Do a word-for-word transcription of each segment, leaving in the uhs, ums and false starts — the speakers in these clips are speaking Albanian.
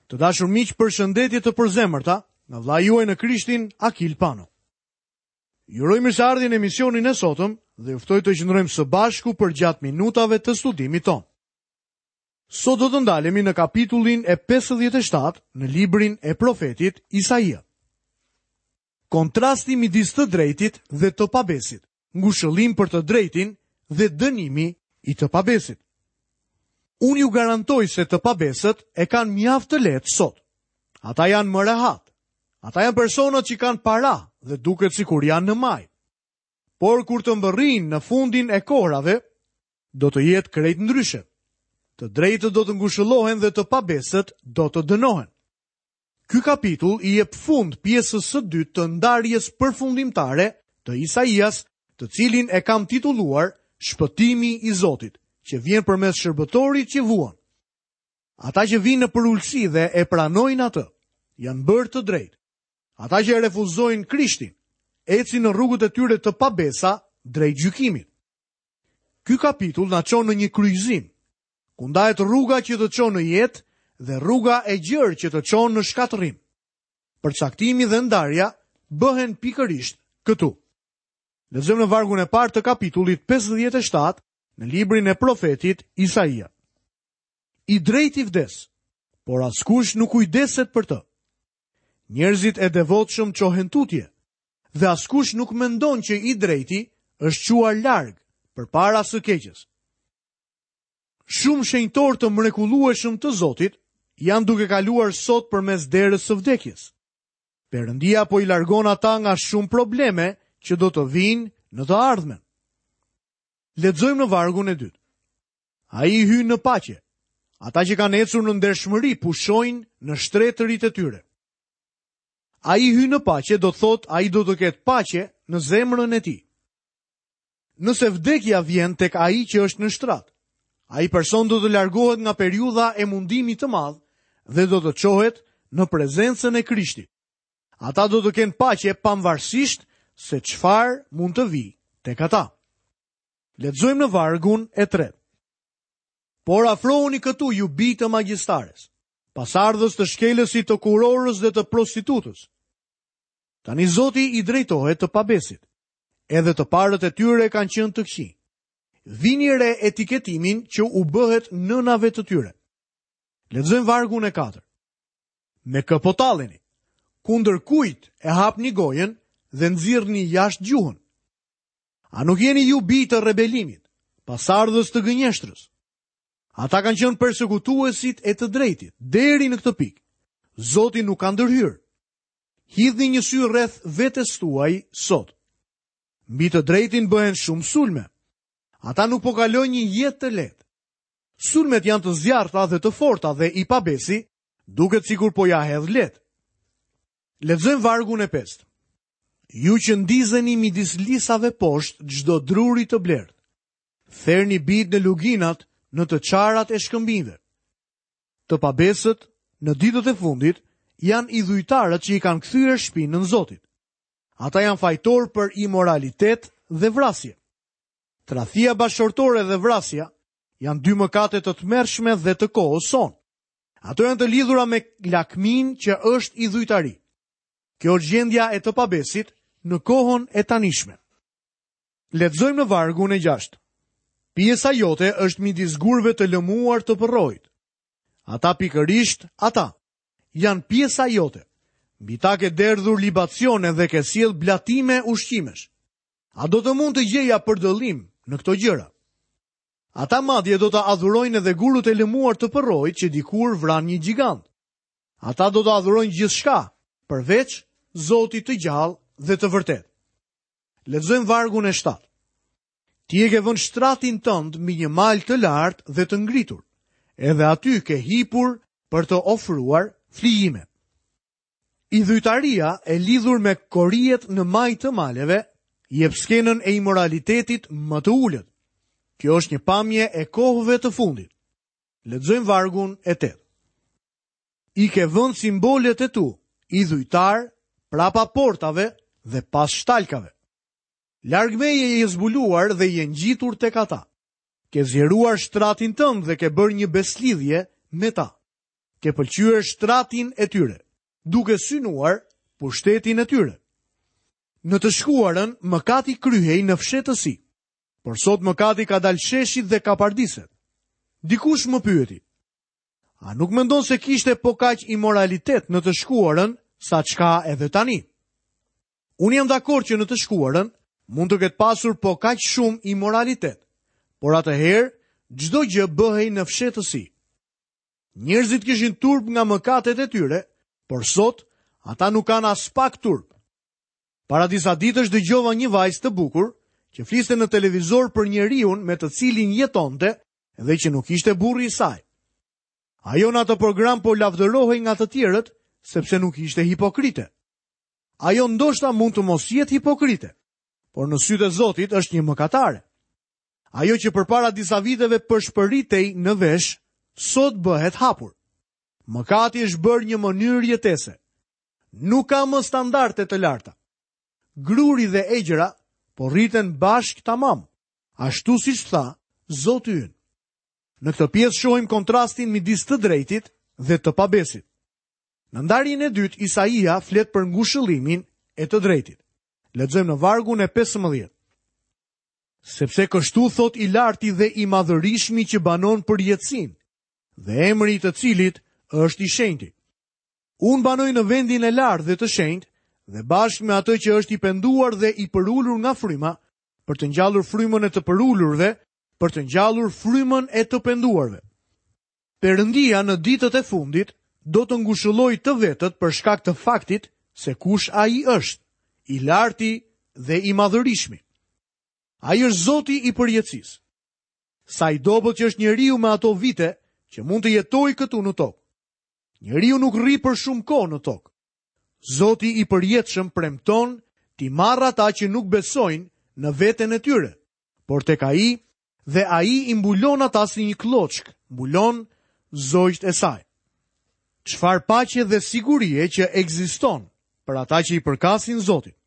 Të dashur miq, përshëndetje të përzemërta nga vëllai juaj në Krishtin, Akil Pano. Ju uroj mirëseardhjen në emisionin e sotëm dhe ju ftoj të qëndrojmë së bashku përgjatë minutave të studimit tonë. Sot do të ndalemi në kapitullin e pesëdhjetë e shtatë në librin e profetit Isaia. Kontrasti midis të drejtit dhe të pabesit, ngushëllim për të drejtin dhe dënimi i të pabesit. Unë ju garantoj se të pabesët e kanë mjaft të lehtë sot. Ata janë më rehat. Ata janë personat që kanë para dhe duket sikur janë në maj. Por kur të mbërrijnë në fundin e kohrave, do të jetë krejt ndryshe. Të drejtët do të ngushëllohen dhe të pabesët do të dënohen. Ky kapitull i jep fund pjesës së dytë të ndarjes përfundimtare të Isaias, të cilin e kam titulluar Shpëtimi i Zotit, që vjen përmes shërbëtorit që vuan. Ata që vinë në përulësi dhe e pranojnë atë, janë bërë të drejtë. Ata që e refuzojnë Krishtin, ecin në rrugët e tyre të pabesa drejt gjykimit. Ky kapitull na çon në një kryqëzim, ku ndahet rruga që të çon në jetë dhe rruga e gjerë që të çon në shkatërrim. Përcaktimi dhe ndarja bëhen pikërisht këtu. Lexojmë në vargun e parë të kapitullit pesëdhjetë e shtatë në librin e profetit Isaia. I drejti vdes, por askush nuk kujdeset për të. Njerëzit e devotshëm çohen tutje, dhe askush nuk mendon që i drejti është çuar larg përpara së keqes. Shumë shenjtor të mrekullueshëm të Zotit janë duke kaluar sot përmes derës së vdekjes. Perëndia po i largon ata nga shumë probleme që do të vinë në të ardhmen. Lexojmë në vargun e dytë. Ai hyn në paqe. Ata që kanë ecur në ndershmëri pushojnë në shtretërit e tyre. Ai hyn në paqe do të thotë ai do të ketë paqe në zemrën e tij. Nëse vdekja vjen tek ai që është në shtrat, ai person do të largohet nga periudha e mundimit të madh dhe do të çohet në prezencën e Krishtit. Ata do të kenë paqe pavarësisht se çfarë mund të vijë tek ata. Lexojmë në vargun e tretë. Por afrohuni këtu ju bij të magjistares, pasardhës të shkelësit të kurorës dhe të prostitutës. Tani Zoti i drejtohet të pabesit. Edhe të parët e tyre kanë qenë të këqij. Vini re etiketimin që u bëhet nënave të tyre. Lexojmë vargun e katërt. Me kë po talleni? Kundër kujt e hapni gojën dhe nxirrni jashtë gjuhën? A nuk jeni ju bij të rebelimit, pasardhës të gënjeshtrës? Ata kanë qenë persekutuesit e të drejtit, deri në këtë pikë. Zoti nuk ka ndërhyrë. Hidhni një sy rreth vetes tuaj sot. Mbi të drejtin bëhen shumë sulme. Ata nuk po kalojnë një jetë të lehtë. Sulmet janë të zjarrta dhe të forta dhe i pabesi duket sikur po ja hedh lehtë. Lexojmë vargun e pestë. Ju që ndizeni midis lisave poshtë çdo druri të blertë, therni bit në luginat në të çarat e shkëmbinjve. Të pabesët në ditët e fundit janë idhujtarët që i kanë kthyer shpinën Zotit. Ata janë fajtor për imoralitet dhe vrasje. Tradhtia bashkëshortore dhe vrasja janë dy mëkate të tmerrshme dhe të kohës sonë. Ato janë të lidhura me lakmin që është idhujtari. Kjo është gjendja e të pabesit në kohën e tanishme. Lexojmë në vargun e gjashtë. Pjesa jote është midis gurëve të lëmuar të përroit. Ata pikërisht ata janë pjesa jote. Mbi ta ke derdhur libacione dhe ke sjell blatime ushqimesh. A do të mund të gjeja përdëllim në këto gjëra? Ata madje do të adhurojnë edhe gurët e lëmuar të përroit që dikur vran një gjigant. Ata do të adhurojnë gjithçka, përveç Zotit të gjallë dhe të vërtetë. Lexojmë vargun e shtatë. Ti e ke vënë shtratin tënd mbi një mal të lartë dhe të ngritur, edhe aty ke hipur për të ofruar flijime. Idhujtaria e lidhur me korijet në majë të maleve jep skenën e imoralitetit më të ulët. Kjo është një pamje e kohëve të fundit. Lexojmë vargun e tetë. I ke vënë simbolet e tu, idhujtar, prapa portave dhe pas shtalkave. Larg meje je zbuluar dhe je ngjitur tek ata. Ke zgjeruar shtratin tënd dhe ke bërë një beslidhje me ta. Ke pëlqyer shtratin e tyre, duke synuar pushtetin e tyre. Në të shkuarën, mëkati kryhej në fshehtësi, por sot mëkati ka dalë sheshit dhe kapardiset. Dikush më pyeti: "A nuk mendon se kishte po kaq imoralitet në të shkuarën sa çka edhe tani?" Unë jam dakord që në të shkuarën mund të ketë pasur po kaq shumë imoralitet, por atëherë çdo gjë bëhej në fshehtësi. Njerëzit kishin turp nga mëkatet e tyre, por sot ata nuk kanë as pak turp. Para disa ditësh dëgjova një vajzë të bukur që fliste në televizor për njeriun me të cilin jetonte dhe që nuk ishte burri i saj. Ajo në atë program po lavdërohej nga të tjerët sepse nuk ishte hipokrite. Ajo ndoshta mund të mos jetë hipokrite, por në sytë e Zotit është një mëkatare. Ajo që përpara disa viteve përshpëritej në vesh, sot bëhet hapur. Mëkati është bërë një mënyrë jetese. Nuk ka më standarde të larta. Gruri dhe egjra po rriten bashkë tamam, ashtu siç tha Zoti ynë. Në këtë pjesë shohim kontrastin midis të drejtit dhe të pabesit. Në ndarjen e dytë, Isaia flet për ngushëllimin e të drejtit. Lexojmë në vargun e pesëmbëdhjetë. Sepse kështu thot i larti dhe i madhërishmi që banon për jetësinë, dhe emri i të cilit është i shenjti. Unë banoj në vendin e lartë dhe të shenjtë, dhe bashkë me atë që është i penduar dhe i përulur nga fryma, për të ngjallur frymën e të përulurve, për të ngjallur frymën e të penduarve. Perëndia në ditët e fundit do të ngushëllojë të vetët për shkak të faktit se kush ai është, i larti dhe i madhërishmi. Ai është Zoti i përjetësisë. Sa i dobët që është njeriu me ato vite që mund të jetojë këtu në tokë. Njeriu nuk rri për shumë kohë në tokë. Zoti i përjetshëm premton t'i marrë ata që nuk besojnë në veten e tyre, por tek ai dhe ai i mbulon ata si një kloçk, mbulon zogjt e saj. Çfarë paqe dhe sigurie që ekziston për ata që i përkasin Zotit.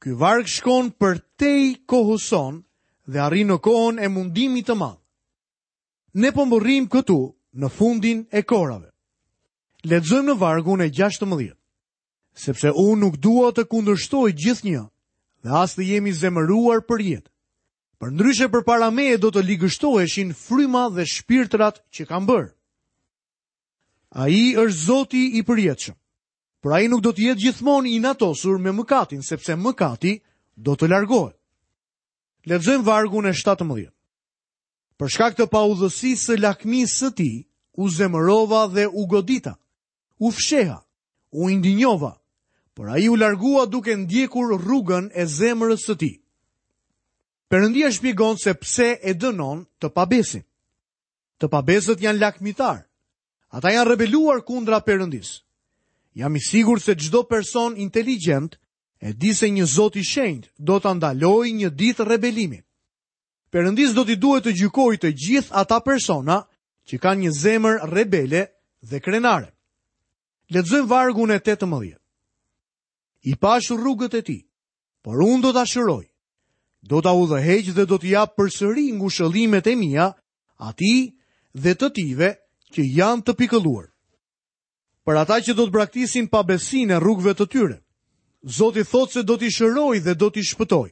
Ky varg shkon për tej kohës sonë dhe arrin në kohën e mundimit të madh. Ne po mbërrim këtu në fundin e korave. Lexojmë në vargun e gjashtëmbëdhjetë. Sepse unë nuk dua të kundërshtoj gjithnjë dhe as të jemi zemëruar për jetë. Përndryshe përpara meje do të ligështoheshin fryma dhe shpirtrat që kam bërë. Ai është Zoti i përjetshëm. Por ai nuk do të jetë gjithmonë i natosur me mëkatin, sepse mëkati do të largohet. Lexojmë vargun e shtatëmbëdhjetë. Për shkak të paudhësisë së lakmisë së tij, u zemërova dhe u godita, u fsheha, u indinjova, por ai u largua duke ndjekur rrugën e zemrës së tij. Perëndia shpjegon se pse e dënon të pabesin. Të pabesët janë lakmitar. Ata janë rebeluar kundra Perëndisë. Jam i sigurt se çdo person inteligjent e di se një Zot i shenjtë do ta ndalojë një ditë rebelimin. Perëndis do t'i duhet të gjykojë të gjithë ata persona që kanë një zemër rebele dhe krenare. Lexojmë vargun e tetëmbëdhjetë. I pash rrugët e tij, por unë do ta shëroj. Do ta udhëheq dhe do t'i jap përsëri ngushëllimet e mia atij dhe të tijve që janë të pikëlluar. Për ata që do të braktisin pabesinë e rrugëve të tyre, Zoti thotë se do t'i shëroj dhe do t'i shpëtoj.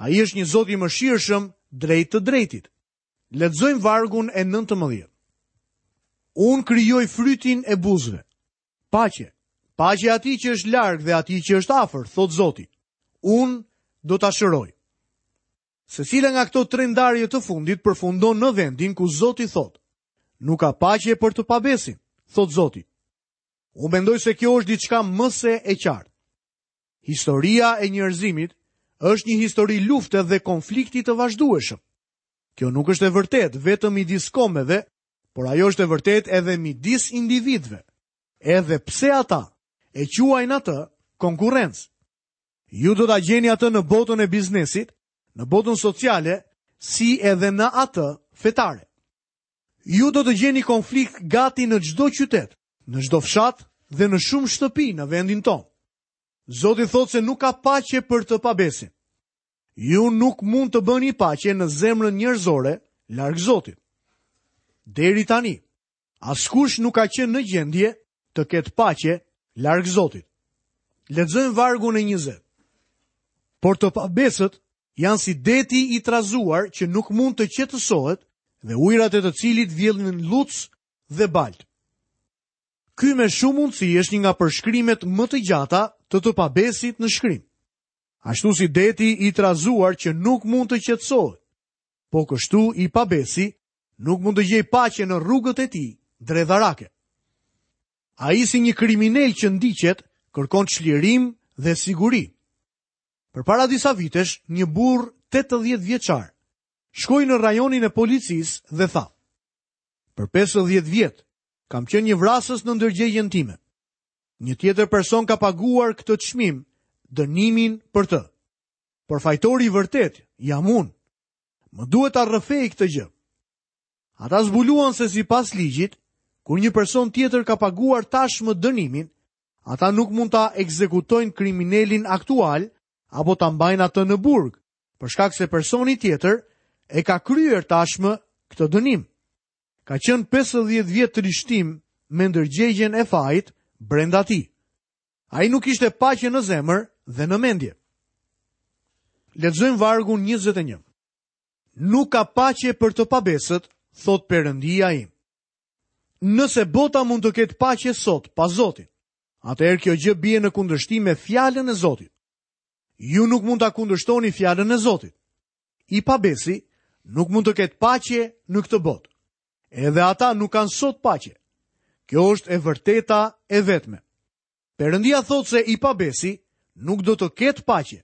Ai është një Zot i mëshirshëm drejt të drejtit. Lexojmë vargun e nëntëmbëdhjetë. Unë krijoj frytin e buzëve. Paqe, paqe atij që është larg dhe atij që është afër, thot Zoti. Unë do ta shëroj. Secila nga këto tre ndarje të fundit përfundon në vendin ku Zoti thot: Nuk ka paqe për të pabesin, thot Zoti. Unë mendoj se kjo është diçka më se e qartë. Historia e njerëzimit është një histori lufte dhe konflikti të vazhdueshëm. Kjo nuk është e vërtetë vetëm midis kombeve, por ajo është e vërtetë edhe midis individëve, edhe pse ata e quajnë atë konkurrencë. Ju do ta gjeni atë në botën e biznesit, në botën sociale, si edhe në atë fetare. Ju do të gjeni konflikt gati në çdo qytet, në çdo fshat dhe në shumë shtëpi në vendin tonë. Zoti thotë se nuk ka paqe për të pabesin. Ju nuk mund të bëni paqe në zemrën njerëzore larg Zotit. Deri tani, Askush nuk ka qenë në gjendje të ketë paqe larg Zotit. Lexojmë vargun e njëzet. Por të pabesët janë si deti i trazuar që nuk mund të qetësohet dhe ujërat e të cilit vjellin lluc dhe balt. Ky me shumë mundësi është një nga përshkrimet më të gjata të të pabesit në shkrim. Ashtu si deti i trazuar që nuk mund të qetësohet, po kështu i pabesi nuk mund të gjejë paqe në rrugët e tij dredharake. Ai si një kriminal që ndiqet, kërkon çlirim dhe siguri. Përpara disa vitesh, një burr tetëdhjetë vjeçar shkoi në rajonin e policisë dhe tha: "Për pesëdhjetë vjet kam qenë një vrasës në ndërgjegjen time. Një tjetër person ka paguar këtë çmim, dënimin për të. Por fajtori i vërtet jam unë. Më duhet ta rrëfej këtë gjë." Ata zbuluan se sipas ligjit, kur një person tjetër ka paguar tashmë dënimin, ata nuk mund ta ekzekutojnë kriminalin aktual apo ta mbajnë atë në burg, për shkak se personi tjetër e ka kryer tashmë këtë dënim. Ka qenë pesëdhjetë vjet trishtim me ndërgjegjen e fajit brenda tij. Ai nuk ishte paqe në zemër dhe në mendje. Lexojmë vargun njëzet e një. Nuk ka paqe për të pabesët, thot Perëndia im. Nëse bota mund të ketë paqe sot pa Zotin, atëherë kjo gjë bie në kundërshtim me fjalën e Zotit. Ju nuk mund ta kundërshtoni fjalën e Zotit. I pabesi nuk mund të ketë paqe në këtë botë. Edhe ata nuk kanë sot paqe. Kjo është e vërteta e vetme. Perëndia thotë se i pabesi nuk do të ketë paqe.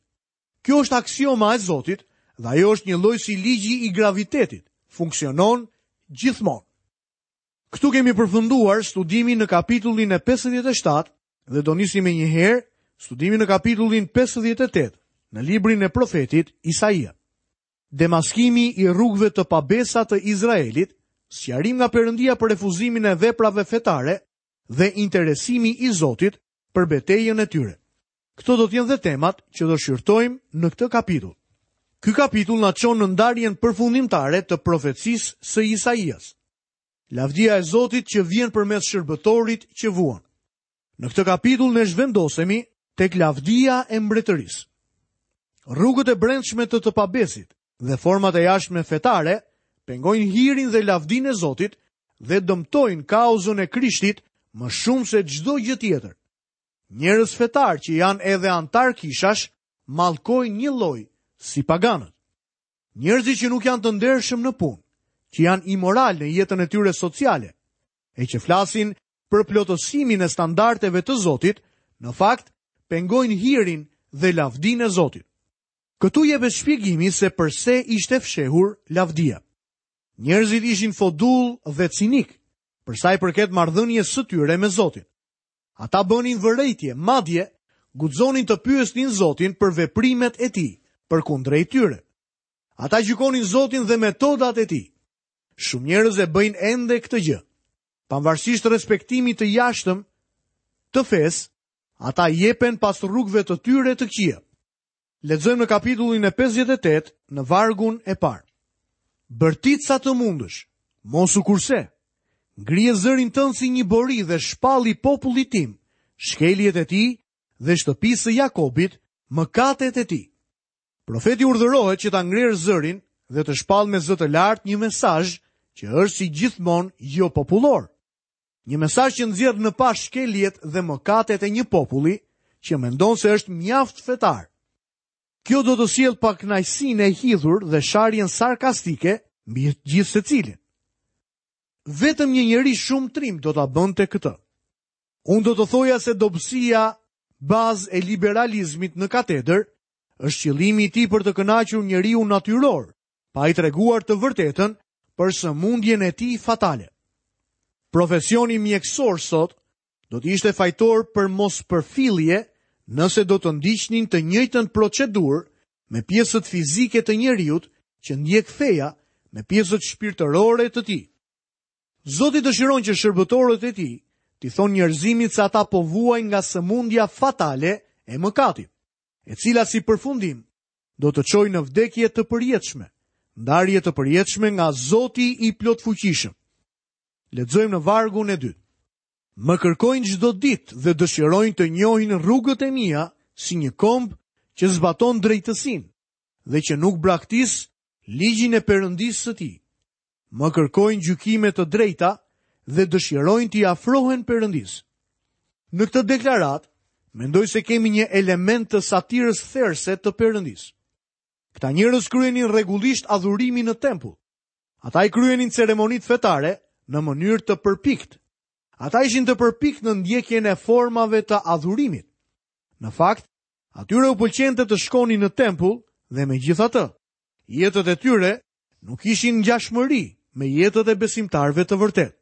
Kjo është aksioma e Zotit dhe ajo është një lloj si ligji i gravitetit, funksionon gjithmonë. Këtu kemi përfunduar studimin në kapitullin e pesëdhjetë e shtatë dhe do nisim me njëherë studimin në kapitullin pesëdhjetë e tetë në librin e profetit Isaia. Demaskimi i rrugëve të pabesa të Izraelit, sqarim nga Perëndia për refuzimin e veprave fetare dhe interesimi i Zotit për betejën e tyre. Këto do të jenë dhe temat që do shqyrtojmë në këtë kapitull. Ky kapitull na çon në ndarjen përfundimtare të profecisë së Isaias. Lavdia e Zotit që vjen përmes shërbëtorit që vuan. Në këtë kapitull ne zhvendosemi tek lavdia e mbretërisë. Rrugët e brendshme të të pabesit dhe format e jashtme fetare pengojnë hirin dhe lavdinë e Zotit dhe dëmtojnë kauzën e Krishtit më shumë se çdo gjë tjetër. Njerëz fetar që janë edhe antar kishash mallkojnë një lloj si paganët. Njerëzit që nuk janë të ndershëm në punë, që janë imoral në jetën e tyre sociale, e që flasin për plotësimin e standardeve të Zotit, në fakt pengojnë hirin dhe lavdinë e Zotit. Këtu jepet shpjegimi se përse ishte fshehur lavdia. Njerëzit ishin fodull dhe cinik, për sa i përket marrëdhënies së tyre me Zotin. Ata bënin vërejtje, madje guxonin të pyesnin Zotin për veprimet e tij, përkundrejt tyre. Ata gjykonin Zotin dhe metodat e tij. Shumë njerëz e bëjnë ende këtë gjë. Pavarësisht respektimit të jashtëm të fesë, ata jepen pas rrugëve të tyre të këqija. Lexojmë në kapitullin e pesëdhjetë e tetë në vargun e parë. Bërtit sa të mundësh, mos u kurse. Ngrije zërin tënd si një bori dhe shpalli popullit tim, shkeljet e tij dhe shtëpisë së Jakobit, mëkatet e tij. Profeti urdhërohet që ta ngrerë zërin dhe të shpall me zë të lartë një mesazh që është si gjithmonë jo popullor. Një mesazh që nxjerr në pah shkeljet dhe mëkatet e një populli që mendon se është mjaft fetar. Kjo do të sjellë pakënaqësinë e hidhur dhe sharjen sarkastike mbi gjithë secilin. Vetëm një njeri shumë trim do ta bënte këtë. Unë do të thoja se dobësia bazë e liberalizmit në katedër është qëllimi i tij për të kënaqur njeriu natyror, pa i treguar të vërtetën për sëmundjen e tij fatale. Profesioni mjekësor sot do të ishte fajtor për mospërfillje nëse do të ndiqnin të njëjtën procedurë me pjesët fizike të njeriut që ndjek feja me pjesët shpirtërore të tij. Zoti dëshiron që shërbëtorët e tij t'i thonë njerëzimit se ata po vuajnë nga sëmundja fatale e mëkatit, e cila si përfundim do të çojë në vdekje të përjetshme, ndarje të përjetshme nga Zoti i plotfuqishëm. Lexojmë në vargun e dytë. Më kërkojnë çdo ditë dhe dëshirojnë të njohin rrugët e mia si një komb që zbaton drejtësinë dhe që nuk braktis ligjin e Perëndisë së tij. Më kërkojnë gjykime të drejta dhe dëshirojnë t'i afrohen Perëndisë. Në këtë deklaratë, mendoj se kemi një element të satirës therëse të Perëndisë. Këta njerëz kryenin rregullisht adhurimin në tempull. Ata i kryenin ceremonitë fetare në mënyrë të përpikt. Ata ishin të përpikt në ndjekjen e formave të adhurimit. Në fakt, atyre u pëlqente të shkonin në tempull dhe megjithatë, jetët e tyre nuk ishin ngjashmëri me jetët e besimtarëve të vërtetë.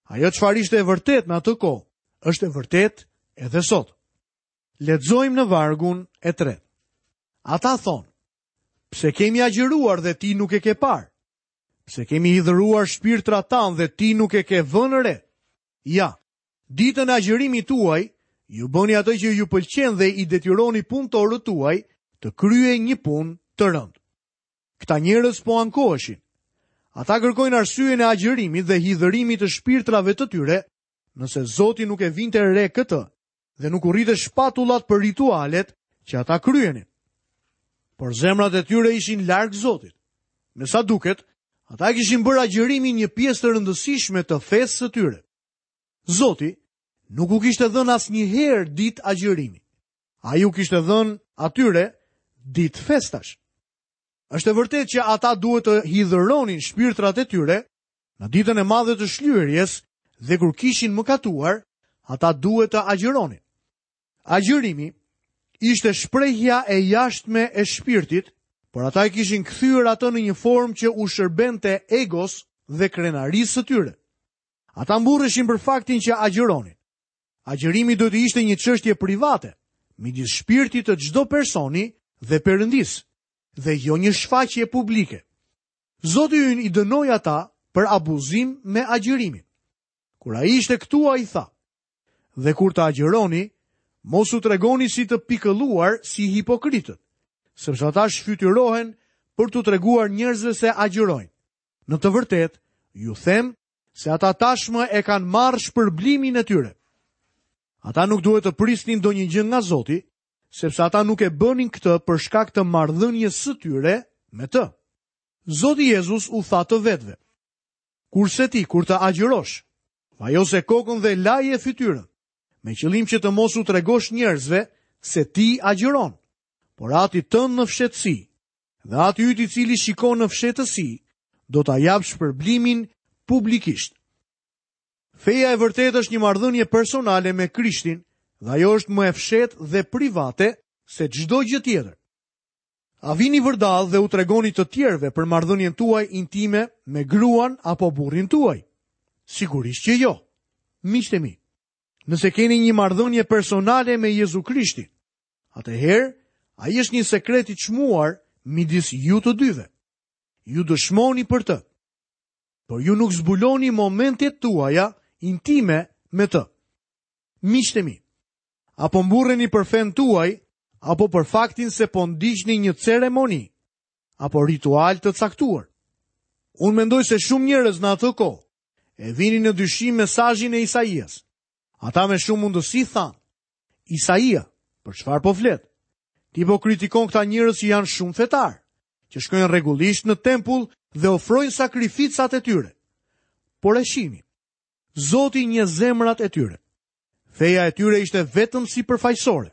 Ajo çfarë ishte e vërtetë në atë kohë, është e vërtetë edhe sot. Lexojmë në vargun e tretë. Ata thonë: Pse kemi agjëruar dhe ti nuk e ke parë? Pse kemi hidhëruar shpirtrat tanë dhe ti nuk e ke vënë re? Ja, ditën e agjërimit tuaj, ju bëni atë që ju pëlqen dhe i detyroni punëtorët tuaj të kryejnë një punë të rëndë. Këta njerëz po ankoheshin. Ata kërkojnë arsyen e agjërimit dhe hidhërimit të shpirtrave të tyre, nëse Zoti nuk e vinte re këtë dhe nuk u rritë shpatullat për ritualet që ata kryenin. Por zemrat e tyre ishin larg Zotit. Me sa duket, ata kishin bërë agjërimin një pjesë të rëndësishme të fesë së tyre. Zoti nuk u kishte dhënë asnjëherë ditë agjërimi. Ai u kishte dhënë atyre ditë festash. Është e vërtetë që ata duhet të hidhëronin shpirtrat e tyre në ditën e madhe të shlyerjes dhe kur kishin mëkatuar, ata duhet të agjëronin. Agjërimi ishte shprehja e jashtme e shpirtit, por ata e kishin kthyer atë në një formë që u shërbente egos dhe krenarisë së tyre. Ata mburreshin për faktin që agjëronin. Agjërimi do të ishte një çështje private midis shpirtit të çdo personi dhe Perëndisë, dhe jo një shfaqje publike. Zoti ynë i dënoi ata për abuzim me agjërimin. Kur ai ishte këtu, ai tha: Dhe kur të agjëroni, mos u tregoni si të pikëlluar si hipokritët, sepse ata shfytyrohen për t'u treguar njerëzve se agjërojnë. Në të vërtetë, ju them se ata tashmë e kanë marrë shpërblimin e tyre. Ata nuk duhet të prisnin ndonjë gjë nga Zoti, sepse ata nuk e bënin këtë për shkak të marrëdhënies së tyre me të. Zoti Jezus u tha të vetëve: Kurse ti, kur të agjërosh, vajose kokën dhe laje fytyrën, me qëllim që të mos u tregosh njerëzve se ti agjëron, por ati tënd në fshehtësi, dhe ati yt i cili shikon në fshehtësi, do ta jap shpërblimin publikisht. Feja e vërtetë është një marrëdhënie personale me Krishtin, dhe ajo është më e fshehtë dhe private se çdo gjë tjetër. A vini vërdall dhe u tregoni të tjerëve për marrëdhënien tuaj intime me gruan apo burrin tuaj? Sigurisht që jo. Miqtë e mi, nëse keni një marrëdhënie personale me Jezu Krishtin, atëherë ai është një sekret i çmuar midis ju të dyve. Ju dëshmoni për të, por ju nuk zbuloni momentet tuaja intime me të. Miqtë e mi, apo mburreni për fenë tuaj, apo për faktin se po ndiqni një ceremoni apo ritual të caktuar. Unë mendoj se shumë njerëz në atë kohë e vinin në dyshim mesazhin e Isaias. Ata me shumë mundësi thanë: Isaia, për çfarë po flet? Ti po kritikon këta njerëz që janë shumë fetar, që shkojnë rregullisht në tempull dhe ofrojnë sakrificat e tyre. Por e shihni, Zoti njeh zemrat e tyre. Feja e tyre ishte vetëm sipërfaqësore.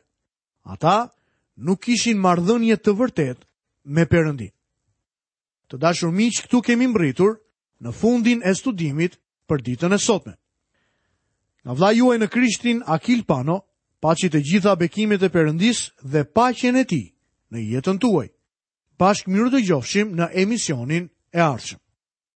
Ata nuk kishin marrëdhënie të vërtetë me Perëndin. Të dashur miq, këtu kemi mbërritur në fundin e studimit për ditën e sotme. Nga vëllai juaj në Krishtin, Akil Pano, paçi të gjitha bekimet e Perëndisë dhe paqen e tij në jetën tuaj. Bashkë mirë dëgjofshim në emisionin e ardhshëm.